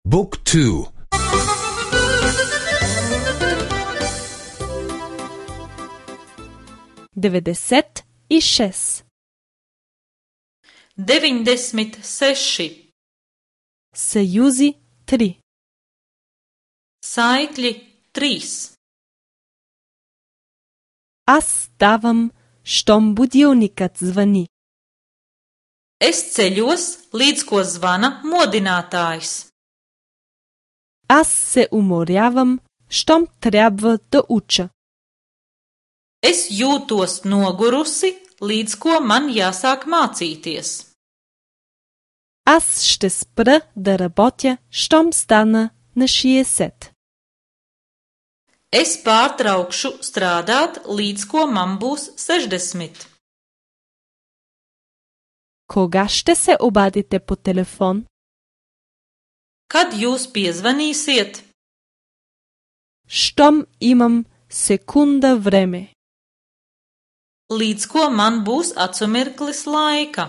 Book 2. 96. 96. Съюзи 3. Saikļi 3. Аз ставам, щом будилникът звъни. Es ceļos, līdz ko zvana modinātājs. Аз се уморявам, щом трябва да уча. Es jūtos nogurusi, līdz ko man jāsāk mācīties. Аз ще спра да работя, щом стана на 60. Es pārtraukšu strādāt, līdz ko man būs 60. Кога ще се обадите по телефон? Kad jūs piezvanīsiet? Щом имам секунда време. Līdz ko man būs acumirklis laika.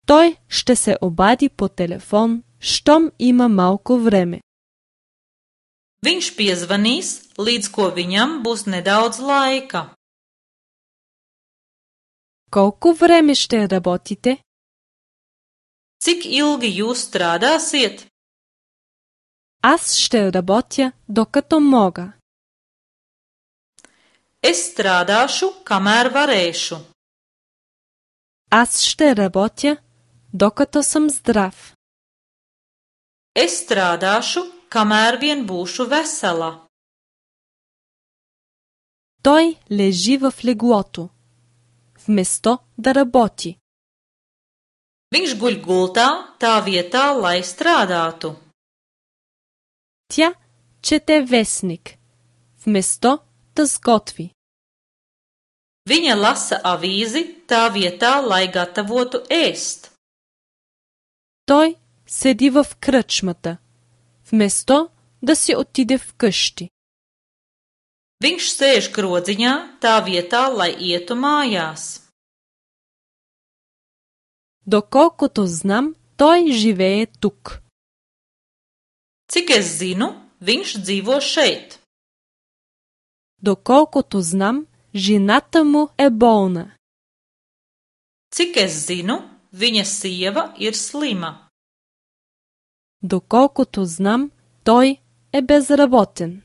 Той ще се обади по телефон, щом има малко време. Viņš piezvanīs, līdz ko viņam būs nedaudz laika. Колко време ще работите? Cik ilgi jūs strādāsiet? Аз ще работя, докато мога. Es strādāšu, kamēr varēšu. Аз ще работя, докато съм здрав. Es strādāšu, kamēr vien būšu vesela. Той лежи в леглото, вместо да работи. Viņš guļ gultā tā vietā, lai strādātu. Тя чете вестник, вместо да сготви. Viņa lasa avīzi tā vietā, lai gatavotu ēst. Той седи в кръчмата, вместо да си отиде вкъщи. Viņš sēž krodziņā tā vietā, lai ietu mājās. Доколкото знам, той живее тук. Cik es zinu, viņš dzīvo šeit. Доколкото знам, жената му е болна. Cik es zinu, viņa sieva ir slima. Доколкото знам, той е безработен.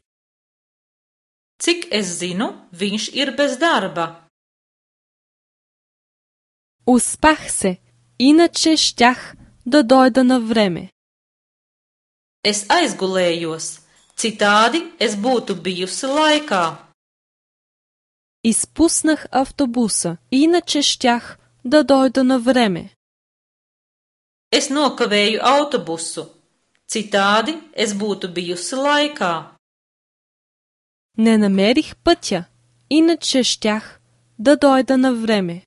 Cik es zinu, viņš ir bez darba. Успах се, иначе щях да дойда на време. Es aizgulējos, citādi es būtu bijusi laikā. Изпуснах автобуса, иначе щях да дойда на време. Es nokavēju autobusu, citādi es būtu bijusi laikā. Не намерих пътя, иначе щях да дойда на време.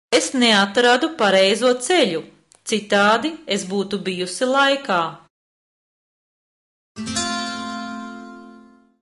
Es neatradu pareizo ceļu, citādi es būtu bijusi laikā.